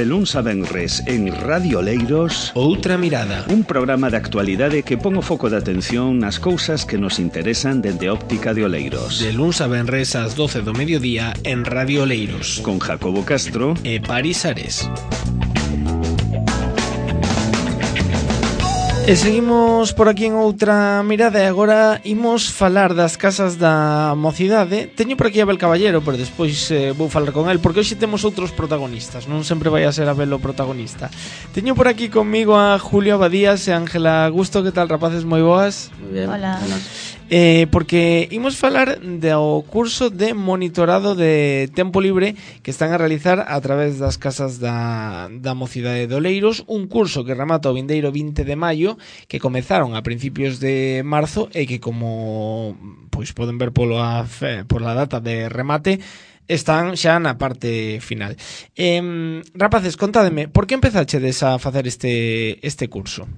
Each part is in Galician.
De luns a venres en Radio Oleiros, Outra Mirada, un programa de actualidade que pon o foco de atención nas cousas que nos interesan dende óptica de Oleiros. de luns a venres ás 12 do mediodía en Radio Oleiros, Con Jacobo Castro e Paris Ares. E seguimos por aquí en Outra Mirada e agora imos falar das casas da mocidade. Teño por aquí a Abel Caballero, pero despois vou falar con el, porque hoxe temos outros protagonistas, non sempre vai a ser Abel o protagonista. Teño por aquí conmigo a Julio Abadías e Ángela Augusto. Que tal, rapaces? Moi boas. Muy bien. Hola. Porque imos falar do curso de monitorado de tempo libre que están a realizar a través das casas da mocidade de Oleiros, un curso que remata o vindeiro 20 de maio, que comezaron a principios de marzo e que, como pois poden ver pola data de remate, están xa na parte final. Rapaces, contádeme, por que empezachedes a facer este curso?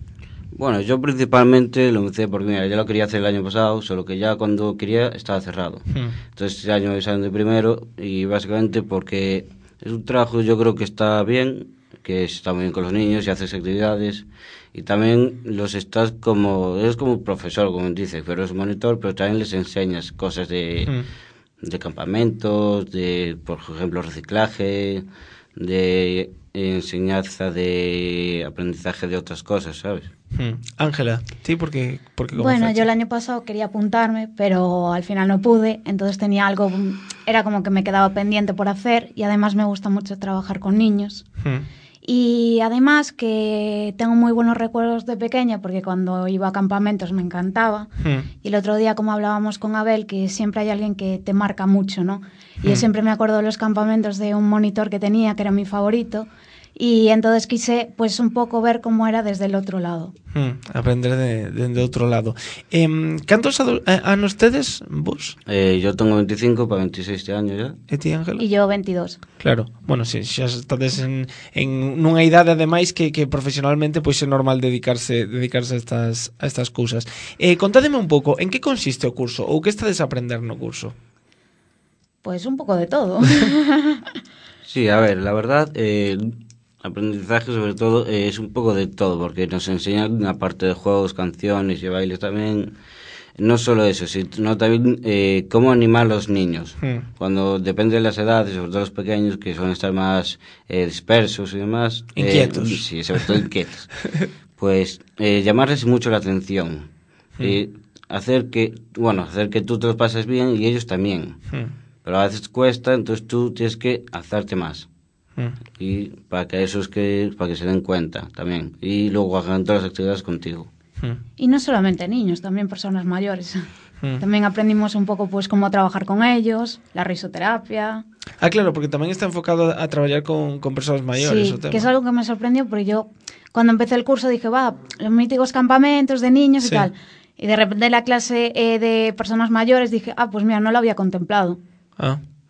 Bueno, yo principalmente lo empecé porque, mira, ya lo quería hacer el año pasado, solo que ya cuando quería estaba cerrado. Entonces este año salen de primero y básicamente porque es un trabajo, yo creo que está bien, que está muy bien con los niños y haces actividades y también los estás como, eres como profesor, como dice, pero es monitor, pero también les enseñas cosas de campamentos, de, por ejemplo, reciclaje, de enseñanza de aprendizaje de otras cosas, ¿sabes? Ángela, ¿sí? ¿Por qué Bueno, yo el año pasado quería apuntarme, pero al final no pude, entonces tenía algo, era como que me quedaba pendiente por hacer y además me gusta mucho trabajar con niños. Y además que tengo muy buenos recuerdos de pequeña porque cuando iba a campamentos me encantaba. Y el otro día, como hablábamos con Abel, que siempre hay alguien que te marca mucho, ¿no? Y yo siempre me acuerdo de los campamentos de un monitor que tenía, que era mi favorito. Y entonces quise pues un poco ver cómo era desde el otro lado. Aprender de outro lado. ¿Cantos anos tedes vos? Yo tengo 25 para 26 años ya. E ti, Ángela? Y yo 22. Claro, bueno, si xa estades en nunha idade ademais que profesionalmente pois é normal dedicarse a estas cousas. Contádeme un pouco, en que consiste o curso ou que estades a aprender no curso? Pues un poco de todo. Sí, a ver, la verdad, aprendizaje sobre todo es un poco de todo, porque nos enseñan una parte de juegos, canciones y bailes también. No solo eso, sino también cómo animar a los niños. Cuando depende de las edades, sobre todo los pequeños, que suelen estar más dispersos y demás. Inquietos. Sí, sobre todo inquietos. Pues llamarles mucho la atención. Hacer que tú te lo pases bien y ellos también. Pero a veces cuesta, entonces tú tienes que hacerte más. Y para que se den cuenta también. Y luego hagan todas las actividades contigo. Y no solamente niños, también personas mayores. También aprendimos un poco pues cómo trabajar con ellos, la risoterapia. Claro, porque tamén está enfocado a traballar con persoas maiores. Sí, o tema. que es algo que me sorprendió porque yo cuando empecé el curso dije, los míticos campamentos de niños Sí. y tal. Y de repente la clase de personas mayores dije, pues mira, no lo había contemplado.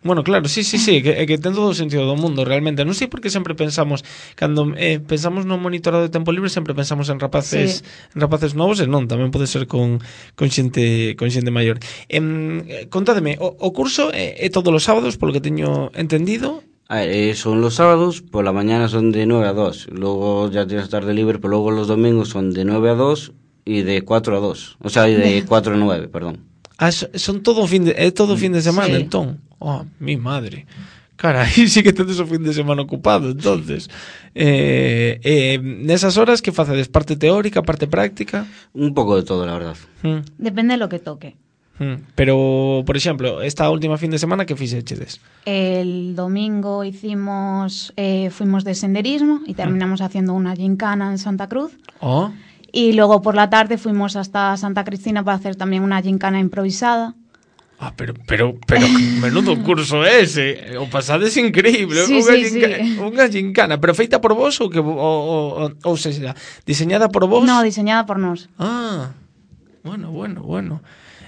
Bueno, claro, sí, que ten todo o sentido do mundo, realmente. Non sei por que sempre pensamos, cando pensamos no monitorado de tempo libre, sempre pensamos en rapaces novos, e non, tamén pode ser con xente maior. Contádeme, o curso é todos os sábados, polo que teño entendido? A ver, son los sábados, por la mañana son de 9 a 2, luego ya tienes tarde libre, pero luego los domingos son de 9 a 2 y de 4 a 2, o sea, y de 4 a 9, perdón. Son todo fin de semana, Sí. entón. Mi madre. Cara, aí sí que tedes o fin de semana ocupado, entonces. Nesas horas que facedes? Parte teórica, parte práctica? Un poco de todo, la verdad. Depende de lo que toque. Pero, por exemplo, esta última fin de semana que fixechedes? El domingo fuimos de senderismo y terminamos haciendo una gincana en Santa Cruz. Y luego por la tarde fuimos hasta Santa Cristina para hacer también una gincana improvisada. Pero menudo curso ese. O pasades increíble. Sí, Unha gincana, pero feita por vos ou seja, diseñada por vos? No, diseñada por nós. Bueno.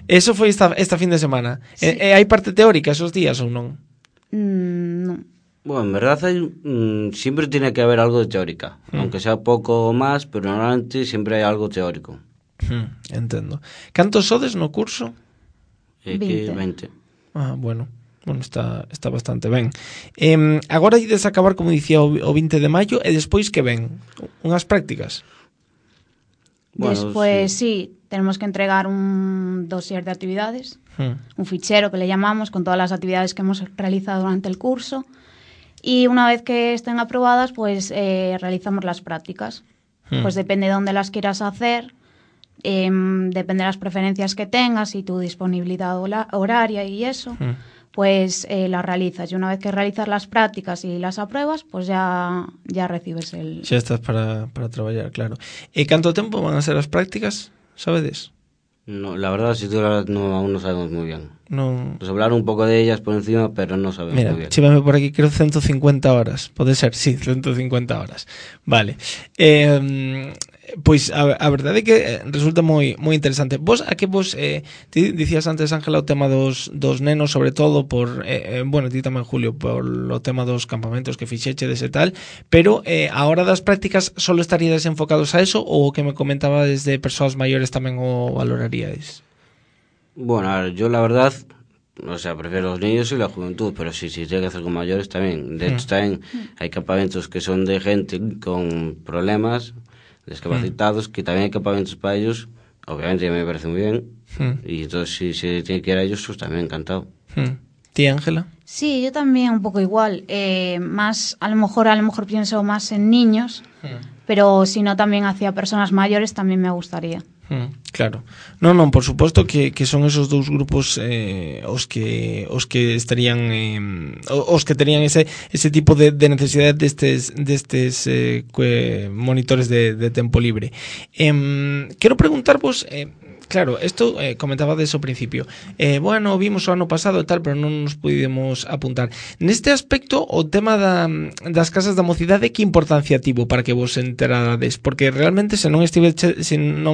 Eso foi esta fin de semana. Sí. Hai parte teórica esos días ou non? No. Bueno, en verdad siempre tiene que haber algo de teórica, aunque sea poco o más, pero normalmente siempre hay algo teórico. Entendo. Cantos sodes no curso? 20. Bueno. Bueno, está bastante ben. Agora ides acabar, como dicía, o 20 de maio, e despois que ven? Unhas prácticas? Bueno, despois, sí, tenemos que entregar un dossier de actividades, un fichero que le llamamos, con todas las actividades que hemos realizado durante el curso, y una vez que estén aprobadas, pues realizamos las prácticas. Pues depende de dónde las quieras hacer, depende de las preferencias que tengas y tu disponibilidad horaria y eso, pues las realizas. Y una vez que realizas las prácticas y las apruebas, pues ya recibes el... Xa estás para traballar, claro. E canto tempo van a ser as prácticas, sabedes? No, la verdad, si tú la verdad, no, aún no sabemos muy bien. No. Nos hablaron un poco de ellas por encima, pero no sabemos muy bien. Mira, chívame por aquí, creo 150 horas. Pode ser, sí, 150 horas. Vale. Pois a verdade é que resulta moi interesante. Vos, a que vos ti dicías antes, Ángela, o tema dos nenos, sobre todo por bueno, ti tamén, Julio, por o tema dos campamentos que fixechedes e tal, pero a hora das prácticas solo estaríades enfocados a eso, ou o que me comentabades de persoas maiores tamén o valoraríades? Bueno, a ver, yo la verdad, o sea, prefiero los niños y la juventud, pero si tiene que hacer con mayores también. De hecho, también hay campamentos que son de gente con problemas, discapacitados, que también hay campamentos para ellos. Obviamente me parece muy bien. Y entonces si se tiene que ir a ellos, pues también encantado. ¿Ti, Ángela? Sí, yo también un poco igual. Más, a lo mejor pienso más en niños, pero si no también hacia personas mayores también me gustaría. Claro. Non, por suposto que son esos dous grupos os que estarían os que terían ese tipo de necesidade destes monitores de tempo libre. Quero preguntarvos, claro, isto comentabades ao principio. Bueno, vimos o ano pasado e tal, pero non nos pudimos apuntar. Neste aspecto, o tema das casas da mocidade, que importancia tivo para que vos enterades? Porque realmente, se non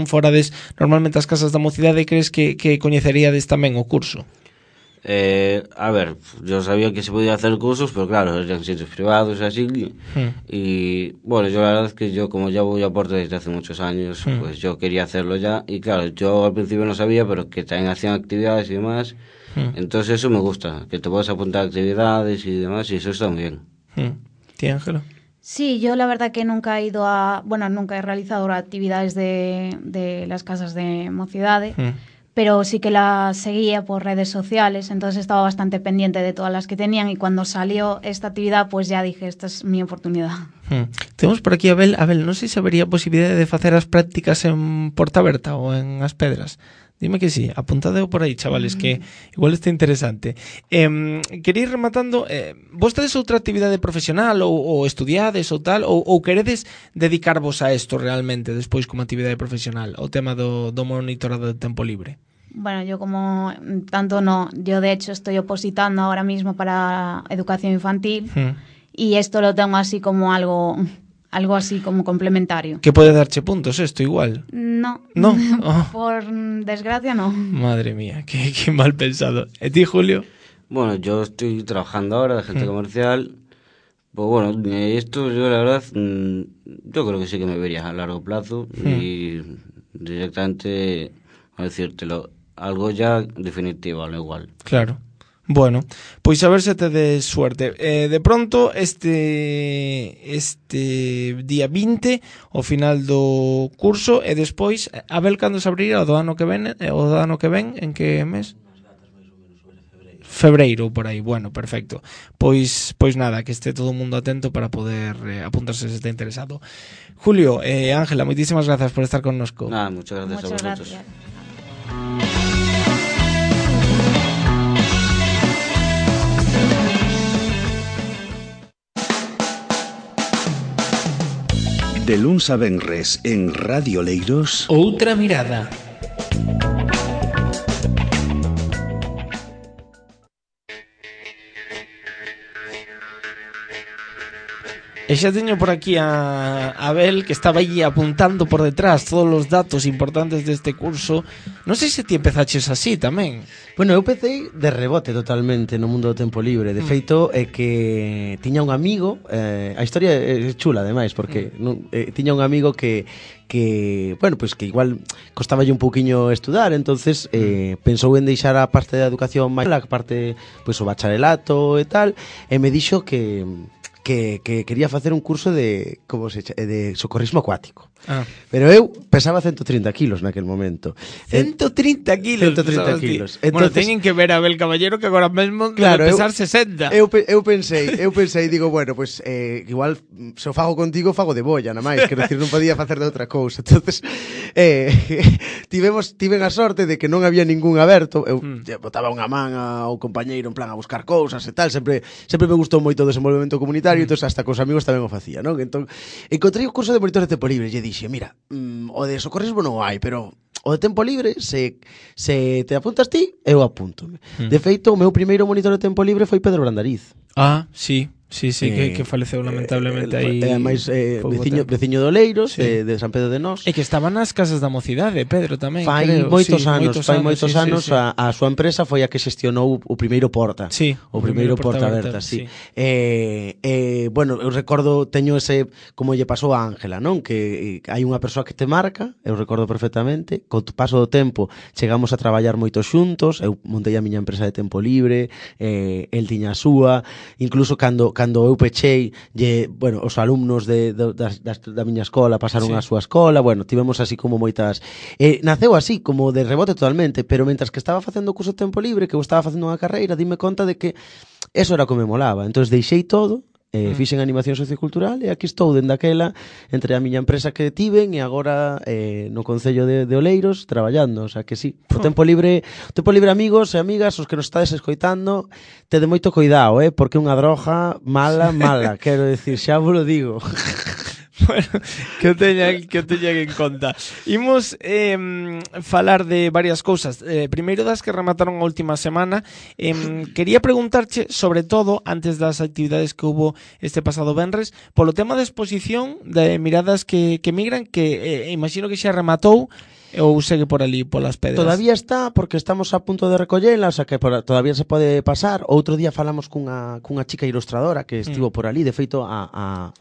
forades normalmente as casas da mocidade, crees que coñeceríades tamén o curso? A ver, yo sabía que se podía hacer cursos, pero claro, eran sitios privados así. Y bueno, yo la verdad es que yo, como ya voy a Porto desde hace muchos años, pues yo quería hacerlo ya. Y claro, yo al principio no sabía, pero que también hacían actividades y demás. Entonces eso me gusta, que te puedas apuntar a actividades y demás, y eso está muy bien. ¿Ti, Ángela? Sí, yo la verdad que nunca he ido nunca he realizado actividades de las casas de mocidade, pero sí que las seguía por redes sociales, entonces estaba bastante pendiente de todas las que tenían, y cuando salió esta actividad, pues ya dije, esta es mi oportunidad. Temos por aquí a Abel, non sei se habería posibilidade de facer as prácticas en Portaberta ou en As Pedras. Dime que sí, apuntadeo por aí, chavales, que igual está interesante. Queréis rematando, vos tedes outra actividade profesional ou estudiades ou tal, ou queredes dedicarvos a isto realmente despois como actividade profesional, o tema do monitorado de tempo libre? Bueno, yo como tanto no, yo de hecho estoy opositando ahora mismo para educación infantil y esto lo tengo así como algo así como complementario. Que pode darche puntos esto igual? No. Oh. Por desgracia no. Madre mía, qué mal pensado. ¿Y ti, Julio? Bueno, yo estoy trabajando ahora de agente comercial. Pues bueno, esto yo la verdad, yo creo que sí que me vería a largo plazo y directamente, a decírtelo, algo ya definitivo, al igual. Claro. Bueno, pois a ver se tedes suerte. De pronto, este día 20, o final do curso, e despois, a ver cando se abrirá o do ano que ven, en que mes? Febreiro, por aí. Bueno, perfecto. Pois nada, que este todo o mundo atento para poder apuntarse se está interesado. Julio, Ángela, moitísimas grazas por estar connosco. Nada, muchas gracias a vosotros. Gracias. De luns a venres en Radio Leiros, Outra mirada. E xa teño por aquí a Abel, que estaba aí apuntando por detrás todos os datos importantes deste curso. Non sei se ti empezaches así tamén. Bueno, eu empecé de rebote totalmente no mundo do tempo libre. De feito, é que tiña un amigo, a historia é chula ademais, porque tiña un amigo que bueno, pues que igual costaballe un pouquiño estudar, entonces pensou en deixar a parte da educación máis, a parte, pues o bacharelato e tal, e me dixo que quería facer un curso de socorrismo acuático. Pero eu pesaba 130 kilos naquel momento. 130 kilos. 130 kilos. Entonces, bueno, teñen que ver a Abel Caballero que agora mesmo claro, debe pesar 60. Eu pensei, digo, bueno, pues igual se o fago contigo, fago de bolla, na máis, quero dicir, non podía facer de outra cousa. Entonces, tiven a sorte de que non había ningún aberto. Eu botaba unha man ao compañeiro en plan a buscar cousas e tal, sempre me gustou moito o desenvolvemento comunitario, entonces hasta cos amigos tamén o facía, non? Entón, encontrei o curso de monitor de tempo libre e dixe, mira, o de socorrismo non hai, pero o de tempo libre, se te apuntas ti, eu apúntome. De feito, o meu primeiro monitor de tempo libre foi Pedro Brandariz. Sí, que faleceu lamentablemente aí. Ademais, veciño de Oleiros, de San Pedro de Nós. E que estaban nas casas da mocidade, Pedro, tamén. Fai moitos anos. A súa empresa foi a que xestionou o primeiro Porta. Sí, o primeiro Porta Aberta, sí. Bueno, eu recordo, teño ese, como lle pasou a Ángela, non? Que hai unha persoa que te marca, eu recordo perfectamente, co paso do tempo chegamos a traballar moito xuntos, eu montei a miña empresa de tempo libre, el tiña a súa, incluso cando eu pechei, bueno, os alumnos da miña escola pasaron á súa escola, bueno, tivemos así como moitas... Naceu así, como de rebote totalmente, pero mentras que estaba facendo o curso de tempo libre, que eu estaba facendo unha carreira, dime conta de que eso era o que me molaba. Entón deixei todo, fixen animación sociocultural e aquí estou dende aquela entre a miña empresa que tiven e agora no Concello de Oleiros traballando, o sea que sí, o tempo libre amigos e amigas, os que nos estades escoitando, tede moito cuidado, porque é unha droga mala, quero decir, xa vos lo digo. Bueno, que o teñan en conta. Imos falar de varias cousas. Primeiro das que remataron a última semana. Quería preguntarche, sobre todo, antes das actividades que hubo este pasado venres, polo tema da exposición de miradas que migran, que imagino que xa rematou, ou segue por ali, polas pedras? Todavía está, porque estamos a punto de recollela, o sea que todavía se pode pasar. Outro día falamos cunha chica ilustradora que estivo por ali, de feito a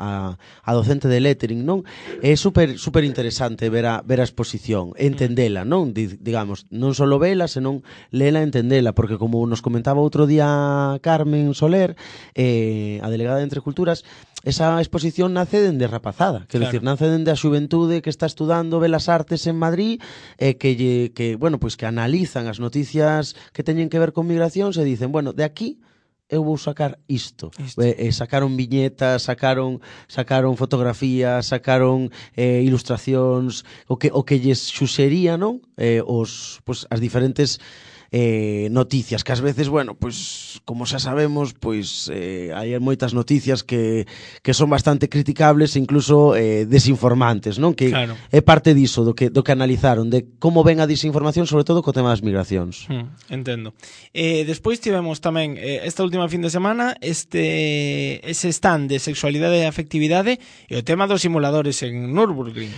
docente de lettering, non? É super interesante ver a exposición, entendela, non? Digamos, non só vela, senón lela, entendela, porque como nos comentaba outro día Carmen Soler, a delegada de Entre Culturas, esa exposición nace dende rapazada, quero dicir, nace dende a xuventude que está estudando Belas Artes en Madrid, que bueno, pues que analizan as noticias que teñen que ver con migracións e dicen, bueno, de aquí eu vou sacar isto. Sacaron viñetas, sacaron fotografías, sacaron ilustracións, o que lles xuxería, non? As diferentes noticias, que ás veces, bueno, pues como xa sabemos, pues hai moitas noticias que son bastante criticables e incluso desinformantes, non? Que claro, é parte diso, do que analizaron, de como ven a desinformación, sobre todo co tema das migracións. Entendo. Despois tivemos tamén esta última fin de semana ese stand de sexualidade e afectividade e o tema dos simuladores en Nürburgring.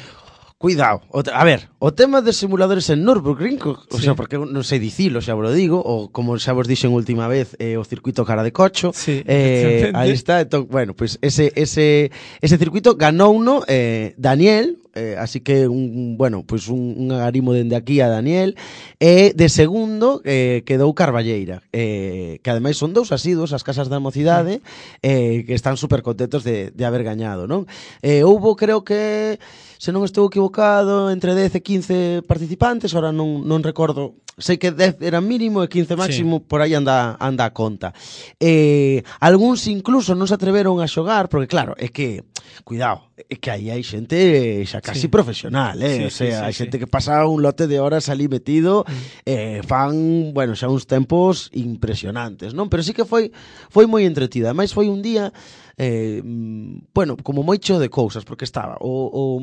Cuidado, a ver, o tema de simuladores en Nürburgring, o sea, porque non sei dicilo, xa vos lo digo, ou como xa vos dixen última vez, o circuito cara de cocho, aí está, entón, bueno, pues ese circuito ganouno Daniel, así que un agarimo dende aquí a Daniel, e de segundo quedou Carballeira, que ademais son dous asiduos as casas da mocidade, que están super contentos de haber gañado, non? Houbo, creo que, se non estou equivocado, entre 10 e 15 participantes, ahora non recordo, sei que 10 era mínimo e 15 máximo, sí, por aí anda a conta. Algúns incluso non se atreveron a xogar, porque claro, é que, cuidado, é que aí hai xente xa casi profesional, o sea, hai xente que pasa un lote de horas ali metido, fan, bueno, xa uns tempos impresionantes, non? Pero sí que foi moi entretida, ademais foi un día bueno, como moi cheo de cousas, porque estaba o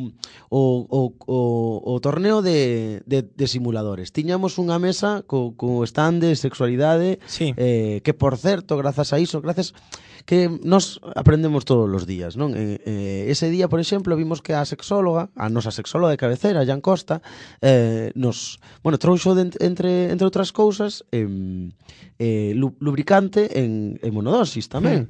torneo de simuladores. Tiñamos unha mesa co stand de sexualidade, sí. Que por certo, grazas a iso, grazas que nos aprendemos todos os días, non? Ese día, por exemplo, vimos que a nosa sexóloga de cabecera, Jan Costa, trouxo entre outras cousas lubricante en monodosis tamén.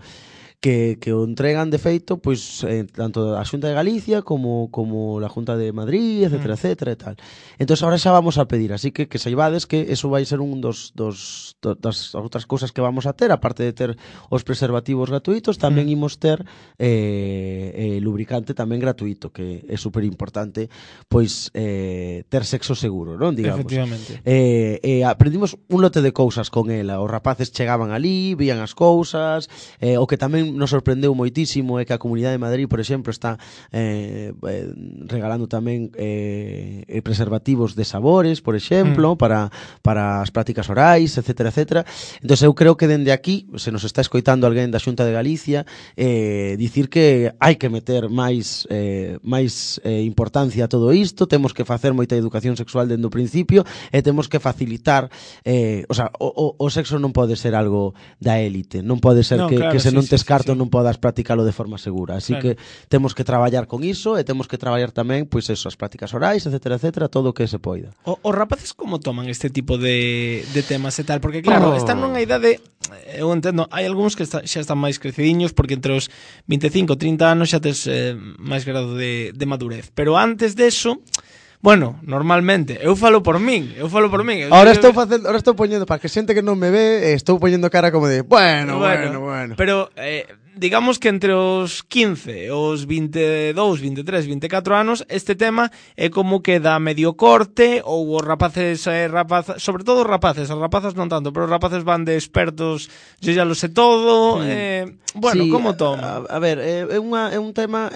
Que o entregan de feito pois tanto a Xunta de Galicia como a Junta de Madrid, etcétera, etcétera e tal. Entón agora xa vamos a pedir, así que saibades que eso vai ser un das outras cousas que vamos a ter, aparte de ter os preservativos gratuitos, tamén imos ter lubricante tamén gratuito, que é super importante pois ter sexo seguro, non, digamos. Efectivamente. Aprendimos un lote de cousas con ela, os rapaces chegaban ali, vían as cousas, o que tamén nos sorprendeu moitísimo é que a Comunidade de Madrid, por exemplo, está regalando tamén preservativos de sabores, por exemplo, para as prácticas orais, etcétera, etcétera. Entón, eu creo que dende aquí, se nos está escoitando alguén da Xunta de Galicia, dicir que hai que meter máis importancia a todo isto, temos que facer moita educación sexual dende o principio e temos que facilitar, o sexo non pode ser algo da élite, non pode ser que se non tes carto non podas practicalo de forma segura, así que temos que traballar con iso e temos que traballar tamén pois eso, as prácticas orais, etcétera, etcétera, todo o que se poida. Os rapaces como toman este tipo de temas e tal? Porque claro, están nunha idade, eu entendo, hai algúns que xa están máis crecidiños porque entre os 25 e 30 anos xa tes máis grado de madurez, pero antes deso, bueno, normalmente, eu falo por min. Ahora estou poñendo, para que xente que non me ve, estou poñendo cara como de, bueno. Pero digamos que entre os 15, os 22, 23, 24 anos, este tema é como que dá medio corte, ou os rapaces, sobre todo os rapaces, as rapazas non tanto, pero os rapaces van de expertos, yo ya lo sé todo, bueno, sí, como toma? A ver, é un tema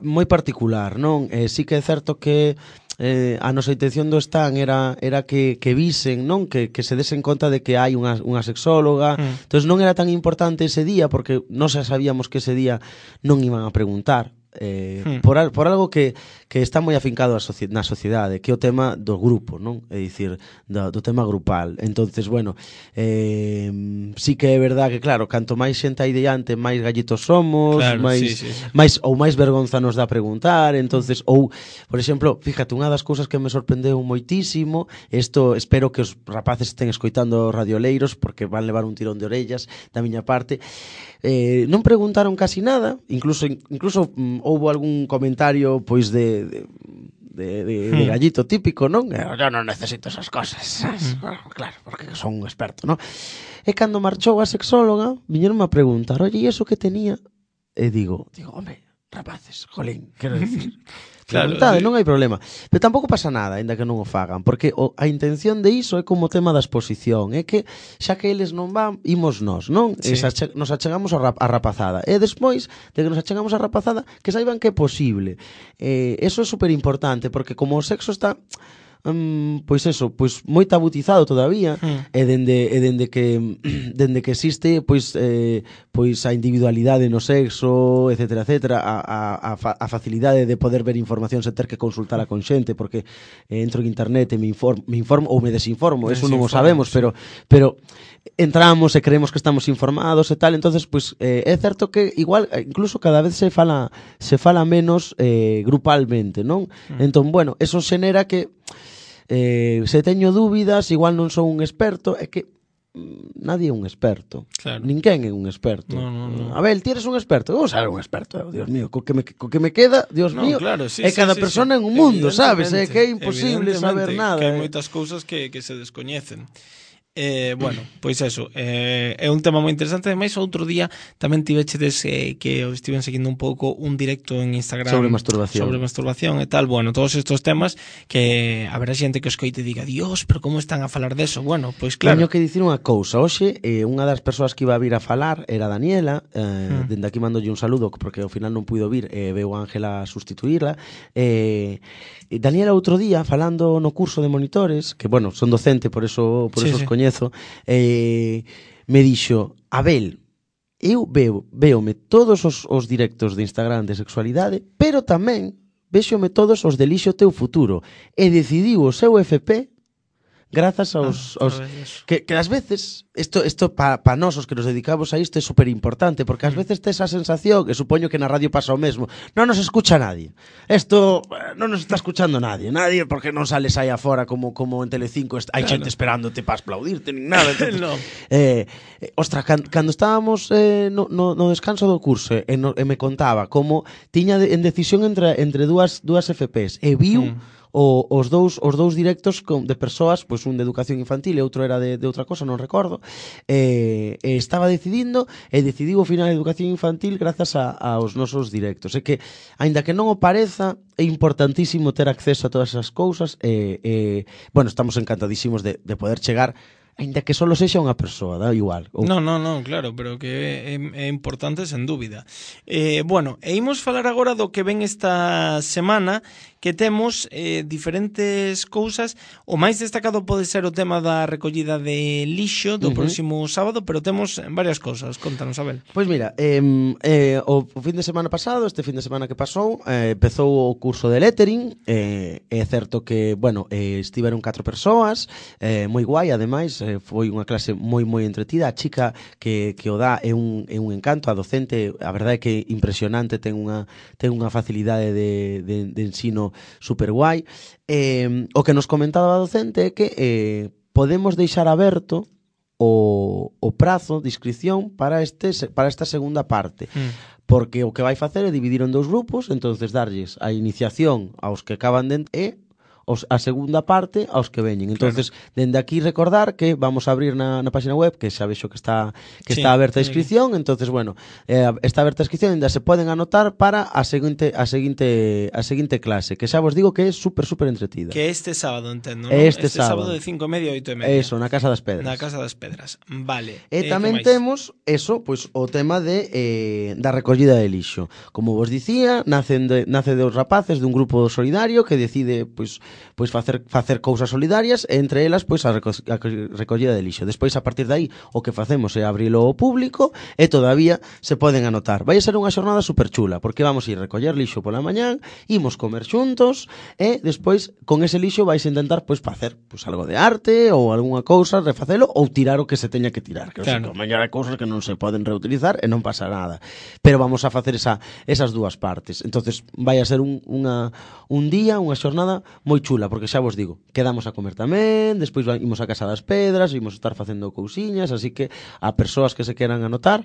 moi particular, non? Sí que é certo que a nosa intención do stand era que visen, non, que se desen conta de que hai unha sexóloga. Entón non era tan importante ese día porque nós xa sabíamos que ese día non iban a preguntar por algo que está moi afincado na sociedade, que é o tema do grupo, non? É dicir, do tema grupal. Entonces, bueno, sí que é verdad que, claro, canto máis xente hai diante, máis gallitos somos, claro, máis vergonza nos dá preguntar. Entonces, ou, por exemplo, fíjate, unha das cousas que me sorprendeu moitísimo, isto espero que os rapaces estén escoitando radioleiros porque van levar un tirón de orellas da miña parte, non preguntaron casi nada, incluso houve algún comentario pois de gallito típico, non? Eu non necesito esas cosas. Claro, porque son un experto, non? E cando marchou a sexóloga, viñeronme a preguntar, oye, e iso que tenía? E digo, home, rapaces, jolín, quero dicir, preguntade, non hai problema. Pero tampouco pasa nada, aínda que non o fagan, porque a intención de iso é como tema da exposición, é que xa que eles non van, imos nós, non? Sí. Nos achegamos a rapazada. E despois de que nos achegamos a rapazada, que saiban que é posible. Eso é super importante, porque como o sexo está pois moi tabutizado todavía, e dende que existe pois a individualidade no sexo, etcétera, etcétera, a facilidade de poder ver información sen ter que consultala con xente, porque entro en internet e me informo ou me desinformo, eso non o sabemos, pero entramos e creemos que estamos informados e tal. Entonces, pois é certo que igual incluso cada vez se fala menos grupalmente, non? Entón, bueno, eso xenera que se teño dúbidas, igual non sou un experto, é que nadie é un experto. Claro. Ninguén é un experto. No. Abel, ti eres un experto? Vamos a ser un experto, Dios mío, co que me queda, Dios mío. Claro, sí, cada persona en un mundo, sabes? É que é imposible saber nada. Que hai moitas cousas que se descoñecen. Bueno, pois eso, é un tema moi interesante. Ademais, outro día tamén tivechedes que eu estiven seguindo un pouco un directo en Instagram sobre masturbación e tal. Bueno, todos estos temas que haberá xente que os coite e diga, Dios, pero como están a falar deso? Bueno, pois claro. Teño que dicir unha cousa. Hoxe, unha das persoas que iba a vir a falar era Daniela, dende aquí mandolle un saludo porque ao final non puido vir, veu Ángela a sustituirla. Daniela outro día, falando no curso de monitores, que, bueno, son docente, por eso os coñezo, me dixo, Abel, eu veome todos os directos de Instagram de sexualidade, pero tamén véxome todos os de Lixo Teu Futuro, e decidiu o seu FP grazas aos que ás veces isto para nós os que nos dedicamos a isto é super importante, porque ás veces tes a sensación, e supoño que na radio pasa o mesmo, non nos escucha nadie, isto non nos está escuchando nadie porque non sales aí afora como en Telecinco, hai xente esperándote para aplaudirte nin nada. Entonces, no. Ostra, cando estábamos no descanso do curso e me contaba como tiña en decisión entre dúas FPs e viu os dous directos de persoas, pois un de educación infantil e outro era de outra cosa, non recordo, estaba decidindo e decidiu o final de educación infantil grazas aos nosos directos. É que, aínda que non o pareza, é importantísimo ter acceso a todas esas cousas bueno, estamos encantadísimos de poder chegar aínda que solo sexa unha persoa, dá igual. Non, claro, pero que é importante sen dúbida. Bueno, imos falar agora do que ven esta semana, que temos diferentes cousas. O máis destacado pode ser o tema da recollida de lixo do próximo sábado, pero temos varias cousas. Contanos, Abel. Pois mira, o fin de semana pasado, este fin de semana que pasou, empezou o curso de lettering. É certo que, bueno, estiveron 4 persoas, moi guai, ademais, foi unha clase moi entretida. A chica que o dá é un encanto, a docente, a verdade é que impresionante, ten unha facilidade de ensino super guai. O que nos comentaba a docente é que podemos deixar aberto o prazo de inscripción para esta segunda parte. Porque o que vai facer é dividir en 2 grupos, entonces darlles a iniciación aos que acaban de a segunda parte aos que veñen. Entonces, dende aquí recordar que vamos a abrir na página web, que xa vexo que está aberta a inscripción. Entonces, bueno, está aberta a inscripción, ainda se poden anotar para a seguinte clase, que xa vos digo que é super entretida. Que este sábado, entendo, non? Este sábado de 5:30 a 8:30. Eso, na Casa das Pedras. Na Casa das Pedras. Vale. E tamén temos eso, pois o tema da recollida de lixo. Como vos dicía, nace dos rapaces dun grupo solidario que decide pois facer cousas solidarias, e entre elas pois a recollida de lixo. Despois, a partir de aí, o que facemos é abrilo ao público e todavía se poden anotar. Vai ser unha xornada super chula, porque vamos ir recoller lixo pola mañán, imos comer xuntos e despois con ese lixo vais a intentar pois facer pois algo de arte ou algunha cousa, refacelo ou tirar o que se teña que tirar, que claro. Mañana hai cousas que non se poden reutilizar e non pasa nada. Pero vamos a facer esas dúas partes. Entonces vai a ser un día, unha xornada moi chula, porque xa vos digo, quedamos a comer tamén, despois imos a Casa das Pedras, imos estar facendo cousiñas, así que a persoas que se queran anotar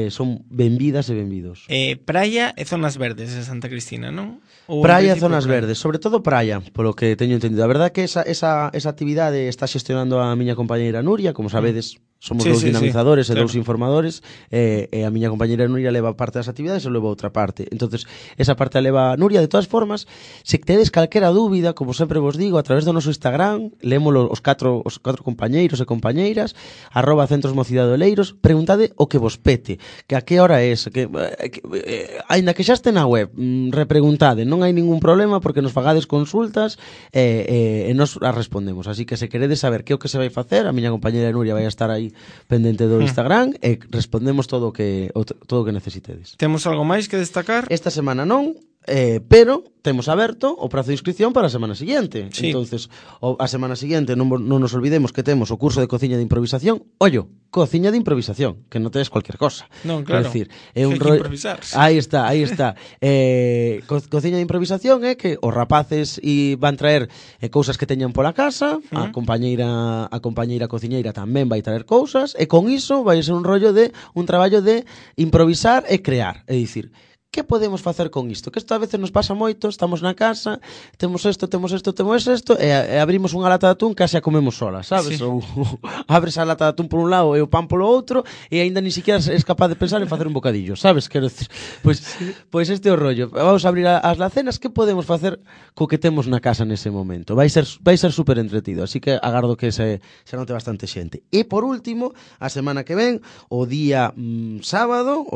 son benvidas e benvidos. Praia e zonas verdes en Santa Cristina, non? Praia e zonas verdes, sobre todo praia, polo que teño entendido. A verdade que esa actividade está xestionando a miña compañeira Nuria, como sabedes, somos dous dinamizadores e dous informadores, e a miña compañeira Nuria leva parte das actividades e eu levo outra parte. Entonces, esa parte a leva Nuria. De todas formas, se tedes calquera dúbida, como sempre vos digo, a través do noso Instagram, lémolo os catro compañeiros e compañeiras, @Centros Mocidade Oleiros, preguntade o que vos pete, que a que hora é, aínda que xa este na web, repreguntade, non hai ningún problema, porque nos fagades consultas e nos as respondemos. Así que se queredes saber que é o que se vai facer, a miña compañeira Nuria vai a estar aí pendente do Instagram e respondemos todo o que necesitedes. Temos algo máis que destacar? Esta semana non, pero temos aberto o prazo de inscripción para a semana seguinte. Sí. Entonces, a semana seguinte non nos olvidemos que temos o curso de cociña de improvisación. Ollo, cociña de improvisación, que non tedes cualquier cosa. Non, claro. É dicir, é un improvisar. Aí está. Cociña de improvisación é que os rapaces van traer cousas que teñan pola casa, a compañeira cociñeira tamén vai traer cousas, e con iso vai ser un traballo de improvisar e crear. É dicir, que podemos facer con isto? Que isto a veces nos pasa moito, estamos na casa, temos isto, e abrimos unha lata de atún que xa comemos sola, sabes? Sí. Ou abres a lata de atún por un lado e o pan polo outro, e aínda ni siquiera és capaz de pensar en facer un bocadillo, sabes? Quero decir, pois este é o rollo. Vamos a abrir as lacenas, que podemos facer co que temos na casa nese momento? Vai ser super entretido, así que agardo que se note bastante xente. E por último, a semana que ven, o día sábado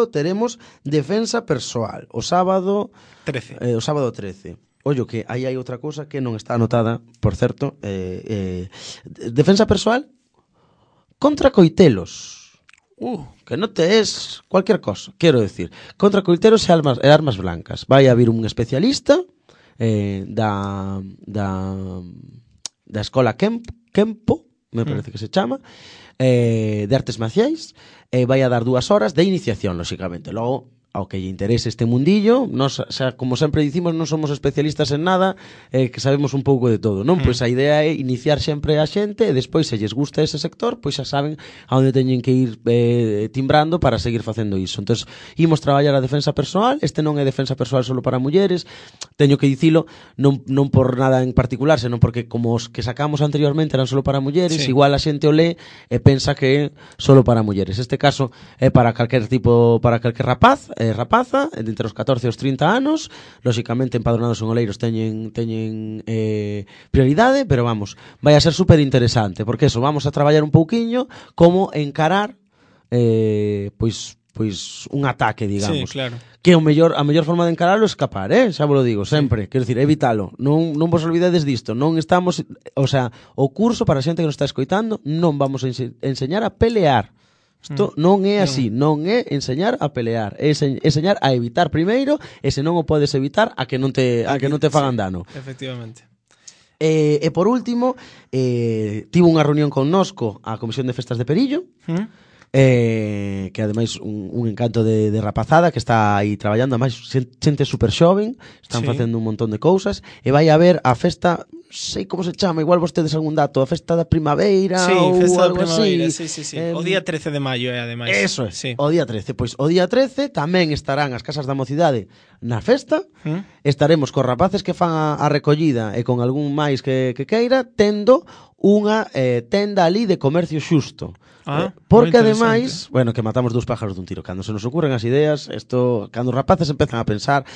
teremos defensa persoal, o sábado 13. Ollo que aí hai outra cousa que non está anotada, por certo, defensa persoal contra coitelos. Que non te es cualquier cosa, quero decir. Contra coiteros e armas blancas. Vai haber un especialista da escola Kempo, me parece que se chama, de artes marciais, vai a dar 2 horas de iniciación, lóxicamente. Logo, ao que lle interese este mundillo, nos, xa, como sempre dicimos, non somos especialistas en nada, que sabemos un pouco de todo, non? Pois a idea é iniciar sempre a xente e despois, se lles gusta ese sector, pois xa saben a onde teñen que ir timbrando para seguir facendo iso. Entón, imos traballar a defensa persoal. Este non é defensa persoal solo para mulleres, teño que dicilo, non por nada en particular, senón porque como os que sacamos anteriormente eran solo para mulleres, sí, igual a xente o lee e pensa que é solo para mulleres. Este caso é para calquer tipo, para calquer rapaza, entre os 14 e os 30 anos, lóxicamente empadronados en Oleiros teñen prioridade, pero vamos, vai a ser super interesante, porque eso, vamos a traballar un pouquiño como encarar pois un ataque, digamos. Sí, claro. Que a mellor forma de encararlo é escapar, xa vos lo digo, sempre, quero dicir, evitalo, non vos olvidades disto, non estamos, o sea, o curso para a xente que nos está escoitando, non vamos a enseñar a pelear. Isto non é así, non é enseñar a pelear, é enseñar a evitar primeiro, e se non o podes evitar, a que non te fagan dano. Efectivamente. E por último, tivo unha reunión connosco a Comisión de Festas de Perillo, que ademais un encanto de rapazada que está aí traballando, ademais xente super xoven, están facendo un montón de cousas, e vai haber a festa, sei como se chama, igual vostedes algún dato, a festa da primavera, ou festa algo da primavera, así. Sí. O día 13 de maio, ademais. Eso é, o día 13. Pois o día 13 tamén estarán as casas da mocidade na festa, estaremos cos rapaces que fan a recollida e con algún máis que queira, tendo unha tenda ali de comercio xusto. Porque ademais, bueno, que matamos 2 pájaros dun tiro. Cando se nos ocurren as ideas, cando os rapaces empezan a pensar,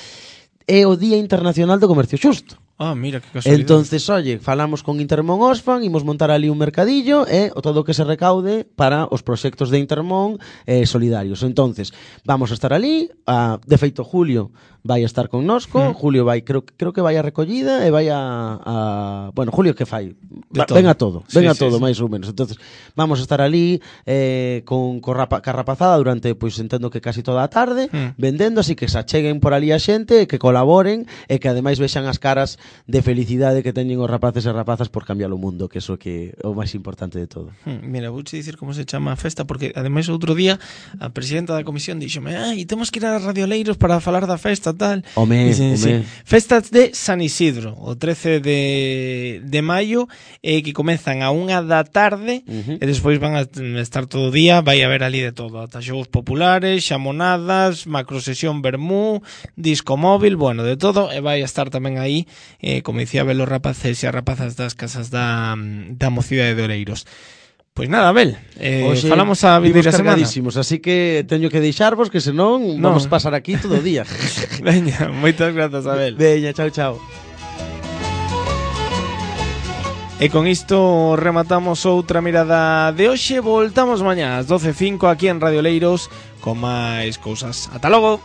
é o Día Internacional do Comercio Xusto. Mira, que casualidade. Entonces, oye, falamos con Intermón Oxfam, imos montar ali un mercadillo e todo o que se recaude para os proxectos de Intermón solidarios. Entonces, vamos a estar ali, de feito Julio vai a estar connosco, Julio vai, creo que vai a recollida e vai bueno, Julio que fai? Ven a todo, máis ou menos. Entonces, vamos a estar ali con rapazada durante, pois entendo que casi toda a tarde, vendendo, así que se acheguen por ali a xente, que colaboren e que ademais vexan as caras de felicidade que teñen os rapaces e rapazas por cambiar o mundo, que eso que é o máis importante de todo. Mira, vouche dicir como se chama a festa, porque ademais outro día a presidenta da comisión díxome, temos que ir a Radio Oleiros para falar da festa, tal. Home. Festas de San Isidro, o 13 de maio, que comezan a 1 da tarde, e despois van a estar todo o día, vai haber ali de todo, ata xogos populares, xamonadas, macrosesión vermú, disco móvil, bueno, de todo, e vai a estar tamén aí, como dicía, ver os rapaces e as rapazas das casas da mocidade de Oleiros. Pois nada, Abel, falamos a vindeira semana. Así que teño que deixarvos, que senón vamos a pasar aquí todo o día. Veña, moitas grazas, Abel. Veña, chao. E con isto rematamos outra mirada de hoxe. Voltamos mañá ás 12:05 aquí en Radio Oleiros con máis cousas. Ata logo.